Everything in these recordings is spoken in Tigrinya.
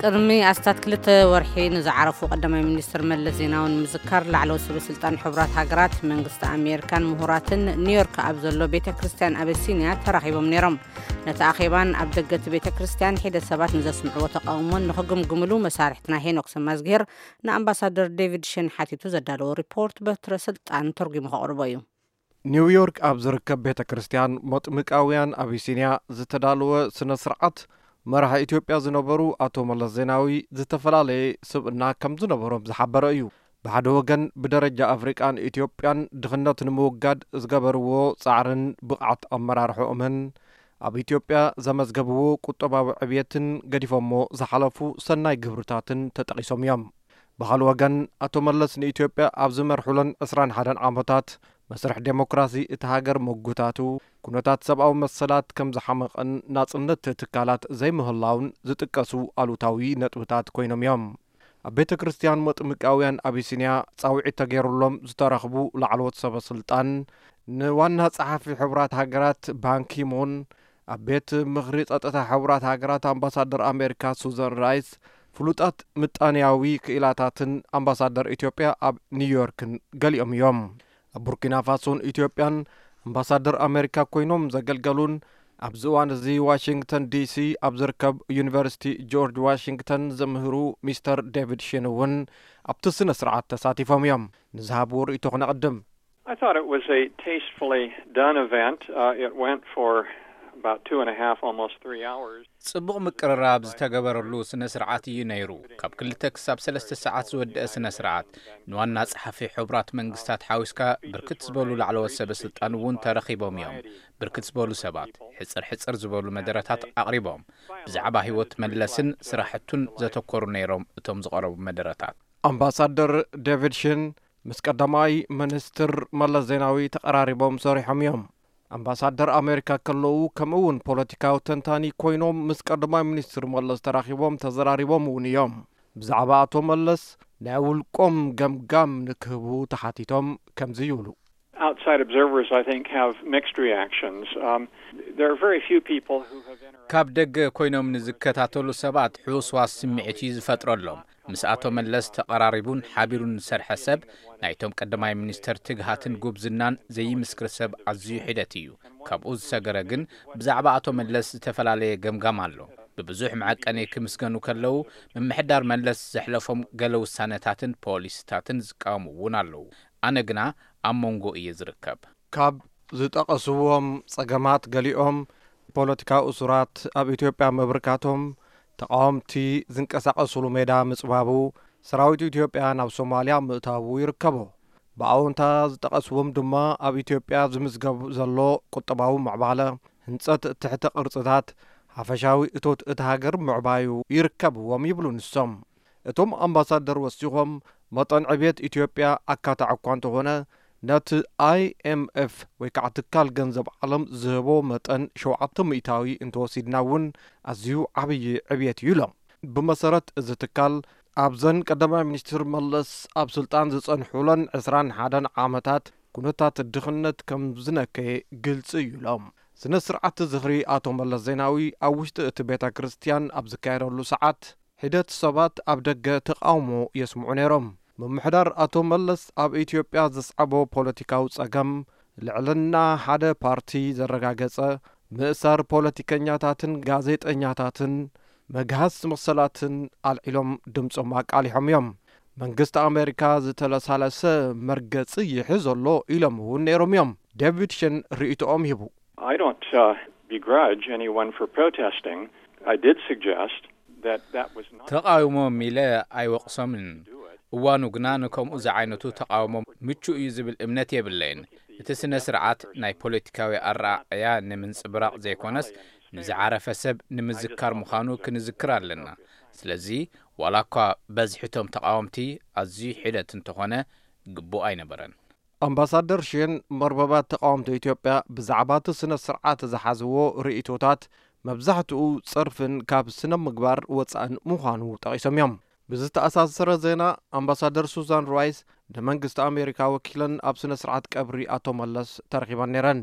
ቅድሚ ኣስታት ክልተ ወርሒ ንዝዓረፉ ቀዳማይ ሚኒስትር መለስ ዜናዊ ንምዝካር፣ ላዕለዎት ሰበ ስልጣን ሕቡራት ሃገራት፣ መንግስቲ ኣሜሪካን ምሁራትን ኒውዮርክ ኣብ ዘሎ ቤተ ክርስቲያን ኣበሲንያ ተራኺቦም ነይሮም። ነቲ ኣኼባን ኣብ ደገ እቲ ቤተ ክርስቲያን ሒደት ሰባት ንዘስምዕዎ ተቃውሞን ንኽግምግምሉ መሳርሕትና ሄኖክ ሰማዝግሄር ንኣምባሳደር ዴቪድ ሸን ሓቲቱ ዘዳለዎ ሪፖርት በትረ ስልጣን ተርጒሙ ከቕርቦ እዩ። ኒውዮርክ ኣብ ዝርከብ ቤተ ክርስቲያን መጥምቃውያን ኣቢሲንያ ዝተዳለወ ስነ ስርዓት፣ መራሒ ኢትዮጵያ ዝነበሩ ኣቶ መለስ ዜናዊ ዝተፈላለየ ስብእና ከም ዝነበሮም ዝሓበረ እዩ። ብሓደ ወገን ብደረጃ ኣፍሪቃን ኢትዮጵያን ድኽነት ንምውጋድ ዝገበርዎ ጻዕርን ብቕዓት ኣመራርሖኦምን ኣብ ኢትዮጵያ ዘመዝገብዎ ቁጠባዊ ዕብየትን ገዲፎሞ ዝሓለፉ ሰናይ ግብርታትን ተጠቒሶም እዮም። ብኻልእ ወገን ኣቶ መለስ ንኢትዮጵያ ኣብ ዝመርሑለን ዕስራን ሓደን ዓመታት መስርሕ ዴሞክራሲ እቲ ሃገር ምጉታቱ፣ ኩነታት ሰብኣዊ መሰላት ከም ዝሓመቐን ናጽነት ትካላት ዘይምህላውን ዝጥቀሱ ኣሉታዊ ነጥብታት ኮይኖም እዮም። ኣብ ቤተ ክርስቲያን መጥምቃውያን ኣቢሲንያ ጻውዒት ተገይሩሎም ዝተረኽቡ ላዕለዎት ሰበ ስልጣን፣ ንዋና ጸሓፊ ሕቡራት ሃገራት ባንኪሙን፣ ኣብ ቤት ምኽሪ ጸጥታ ሕቡራት ሃገራት ኣምባሳደር ኣሜሪካ ሱዛን ራይስ፣ ፍሉጣት ምጣንያዊ ክኢላታትን ኣምባሳደር ኢትዮጵያ ኣብ ኒውዮርክን ገሊኦም እዮም። ኣብ ቡርኪና ፋሶን ኢትዮጵያን ኣምባሳደር ኣሜሪካ ኮይኖም ዘገልገሉን ኣብዚ እዋን እዚ ዋሽንግተን ዲሲ ኣብ ዝርከብ ዩኒቨርሲቲ ጆርጅ ዋሽንግተን ዘምህሩ ሚስተር ዴቪድ ሽን እውን ኣብቲ ስነ ስርዓት ተሳቲፎም እዮም። ንዝሃብዎ ርእይቶ ክነቕድም። I thought it was a tastefully done event. Uh, it went for about two and a half, almost three hours. ጽቡቕ ምቅርራብ ዝተገበረሉ ስነ ስርዓት እዩ ነይሩ። ካብ ክልተ ክሳብ ሰለስተ ሰዓት ዝወደአ ስነ ስርዓት፣ ንዋና ጸሓፊ ሕቡራት መንግስታት ሓዊስካ ብርክት ዝበሉ ላዕለዎት ሰበ ስልጣን እውን ተረኺቦም እዮም። ብርክት ዝበሉ ሰባት ሕጽር ሕጽር ዝበሉ መደረታት ኣቕሪቦም፣ ብዛዕባ ህይወት መለስን ስራሕቱን ዘተኮሩ ነይሮም እቶም ዝቐረቡ መደረታት። ኣምባሳደር ዴቪድ ሽን ምስ ቀዳማይ ሚኒስትር መለስ ዜናዊ ተቐራሪቦም ሰሪሖም እዮም። ኣምባሳደር ኣሜሪካ ከለዉ፣ ከምኡ እውን ፖለቲካዊ ተንታኒ ኮይኖም ምስ ቀዳማይ ሚኒስትር መለስ ተራኺቦም ተዘራሪቦም እውን እዮም። ብዛዕባ ኣቶ መለስ ናይ ውልቆም ገምጋም ንክህቡ ተሓቲቶም ከምዚ ይብሉ። Outside observers, I think, have mixed reactions. Um, there are very few people who have interacted. ካብ ደገ ኮይኖም ንዝከታተሉ ሰባት ሕውስዋስ ስምዒት እዩ ዝፈጥረሎም። ምስ ኣቶ መለስ ተቐራሪቡን ሓቢሩን ዝሰርሐ ሰብ፣ ናይቶም ቀዳማይ ሚኒስተር ትግሃትን ጉብዝናን ዘይምስክር ሰብ ኣዝዩ ሒደት እዩ። ካብኡ ዝሰገረ ግን፣ ብዛዕባ ኣቶ መለስ ዝተፈላለየ ገምጋም ኣሎ። ብብዙሕ መዐቀኒ ክምስገኑ ከለዉ፣ ምምሕዳር መለስ ዘሕለፎም ገለ ውሳነታትን ፖሊሲታትን ዝቃወሙ እውን ኣለዉ። ኣነ ግና ኣብ መንጎ እየ ዝርከብ። ካብ ዝጠቐስዎም ጸገማት ገሊኦም፣ ፖለቲካዊ እሱራት ኣብ ኢትዮጵያ ምብርካቶም፣ ተቓወምቲ ዝንቀሳቐስሉ ሜዳ ምጽባቡ፣ ሰራዊት ኢትዮጵያ ናብ ሶማልያ ምእታዉ ይርከቦ። ብኣወንታ ዝጠቐስዎም ድማ ኣብ ኢትዮጵያ ዝምዝገብ ዘሎ ቁጠባዊ ምዕባለ፣ ህንጸት ትሕተ ቅርጽታት፣ ሓፈሻዊ እቶት እታ ሃገር ምዕባዩ ይርከብዎም ይብሉ ንሶም። እቶም ኣምባሳደር ወሲኾም፣ መጠን ዕብየት ኢትዮጵያ ኣካታዒ እኳ እንተኾነ፣ ነቲ ኣይ ኤም ኤፍ ወይ ከዓ ትካል ገንዘብ ዓለም ዝህቦ መጠን ሸውዓተ ሚእታዊ እንተወሲድና እውን ኣዝዩ ዓብዪ ዕብየት እዩ ኢሎም። ብመሰረት እዚ ትካል፣ ኣብዘን ቀዳማይ ሚኒስትር መለስ ኣብ ስልጣን ዝጸንሑለን ዕስራን ሓደን ዓመታት ኩነታት ድኽነት ከም ዝነከየ ግልጺ እዩ ኢሎም። ስነ ስርዓት ዝኽሪ ኣቶ መለስ ዜናዊ ኣብ ውሽጢ እቲ ቤተ ክርስቲያን ኣብ ዝካየደሉ ሰዓት፣ ሒደት ሰባት ኣብ ደገ ተቃውሞ የስምዑ ነይሮም። ምምሕዳር ኣቶ መለስ ኣብ ኢትዮጵያ ዘስዓቦ ፖለቲካዊ ጸገም፣ ልዕልና ሓደ ፓርቲ ዘረጋገጸ፣ ምእሳር ፖለቲከኛታትን ጋዜጠኛታትን፣ መግሃስ መሰላትን ኣልዒሎም ድምጾም ኣቃሊሖም እዮም። መንግስቲ ኣሜሪካ ዝተለሳለሰ መርገጺ ይሕዝ ኣሎ ኢሎም እውን ነይሮም እዮም። ዴቪድ ሽን ርእይቶኦም ሂቡ። I don't uh, begrudge anyone for protesting. I did suggest that that was not. ተቓውሞም ኢለ ኣይወቕሶምን። እዋኑ ግና ንከምኡ ዝዓይነቱ ተቓውሞ ምቹእ እዩ ዝብል እምነት የብለይን። እቲ ስነ ስርዓት ናይ ፖለቲካዊ ኣረኣእያ ንምንጽብራቕ ዘይኮነስ፣ ንዝዓረፈ ሰብ ንምዝካር ምዃኑ ክንዝክር ኣለና። ስለዚ፣ ዋላ እኳ በዝሒ እቶም ተቓወምቲ ኣዝዩ ሒደት እንተኾነ፣ ግቡእ ኣይነበረን። ኣምባሳደር ሽን፣ መርበባት ተቓወምቲ ኢትዮጵያ ብዛዕባ እቲ ስነ ስርዓት ዝሓዝዎ ርእይቶታት፣ መብዛሕትኡ ጸርፍን ካብ ስነ ምግባር ወጻእን ምዃኑ ጠቒሶም እዮም። ብዝተኣሳሰረ ዜና፣ ኣምባሳደር ሱዛን ራይስ ንመንግስቲ ኣሜሪካ ወኪለን ኣብ ስነ ስርዓት ቀብሪ ኣቶ መለስ ተረኺበን ነይረን።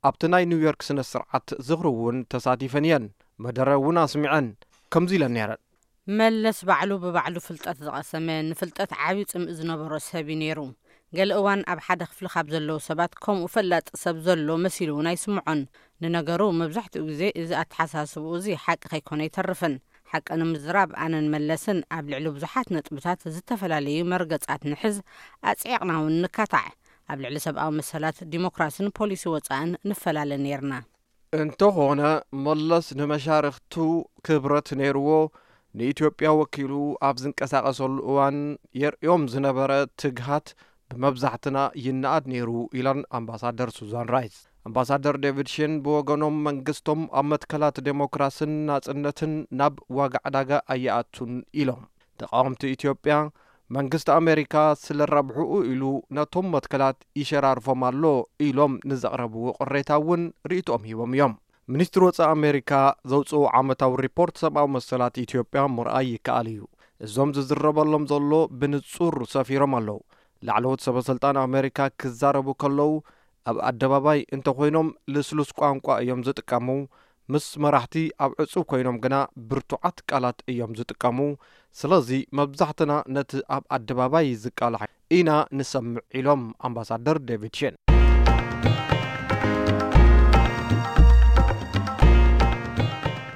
ኣብቲ ናይ ኒውዮርክ ስነ ስርዓት ዝኽሪ እውን ተሳቲፈን እየን። መደረ እውን ኣስሚዐን። ከምዚ ኢለን ነይረን። መለስ ባዕሉ ብባዕሉ ፍልጠት ዝቐሰመ፣ ንፍልጠት ዓብዪ ጽምኢ ዝነበሮ ሰብ እዩ ነይሩ። ገለ እዋን ኣብ ሓደ ክፍሊ ካብ ዘለዉ ሰባት ከምኡ ፈላጢ ሰብ ዘሎ መሲሉ እውን ኣይስምዖን። ንነገሩ፣ መብዛሕትኡ ግዜ እዚ ኣተሓሳስብኡ እዚ ሓቂ ከይኮነ ኣይተርፍን። ሓቂ ንምዝራብ፣ ኣነን መለስን ኣብ ልዕሊ ብዙሓት ነጥብታት ዝተፈላለዩ መርገጻት ንሕዝ፣ ኣጽዒቕና እውን ንካታዕ። ኣብ ልዕሊ ሰብኣዊ መሰላት፣ ዲሞክራስን ፖሊሲ ወጻእን ንፈላለ ነይርና። እንተኾነ፣ መለስ ንመሻርኽቱ ክብረት ነይርዎ። ንኢትዮጵያ ወኪሉ ኣብ ዝንቀሳቐሰሉ እዋን የርእዮም ዝነበረ ትግሃት ብመብዛሕትና ይነኣድ ነይሩ ኢለን ኣምባሳደር ሱዛን ራይስ። ኣምባሳደር ዴቪድ ሽን ብወገኖም፣ መንግስቶም ኣብ መትከላት ዴሞክራስን ናጽነትን ናብ ዋጋ ዕዳጋ ኣይኣቱን ኢሎም። ተቃወምቲ ኢትዮጵያ፣ መንግስቲ ኣሜሪካ ስለ ረብሕኡ ኢሉ ነቶም መትከላት ይሸራርፎም ኣሎ ኢሎም ንዘቕረብዎ ቅሬታ እውን ርእይቶኦም ሂቦም እዮም። ሚኒስትሪ ወጻኢ ኣሜሪካ ዘውጽኦ ዓመታዊ ሪፖርት ሰብኣዊ መሰላት ኢትዮጵያ ምርኣይ ይከኣል እዩ። እዞም ዝዝረበሎም ዘሎ ብንጹር ሰፊሮም ኣለዉ። ላዕለዎት ሰበ ስልጣን ኣሜሪካ ክዛረቡ ከለዉ ኣብ ኣደባባይ እንተኾይኖም ልስሉስ ቋንቋ እዮም ዝጥቀሙ። ምስ መራሕቲ ኣብ ዕጹብ ኮይኖም ግና ብርቱዓት ቃላት እዮም ዝጥቀሙ። ስለዚ መብዛሕትና ነቲ ኣብ ኣደባባይ ዝቃላሕ ኢና ንሰምዕ ኢሎም ኣምባሳደር ዴቪድ ሽን።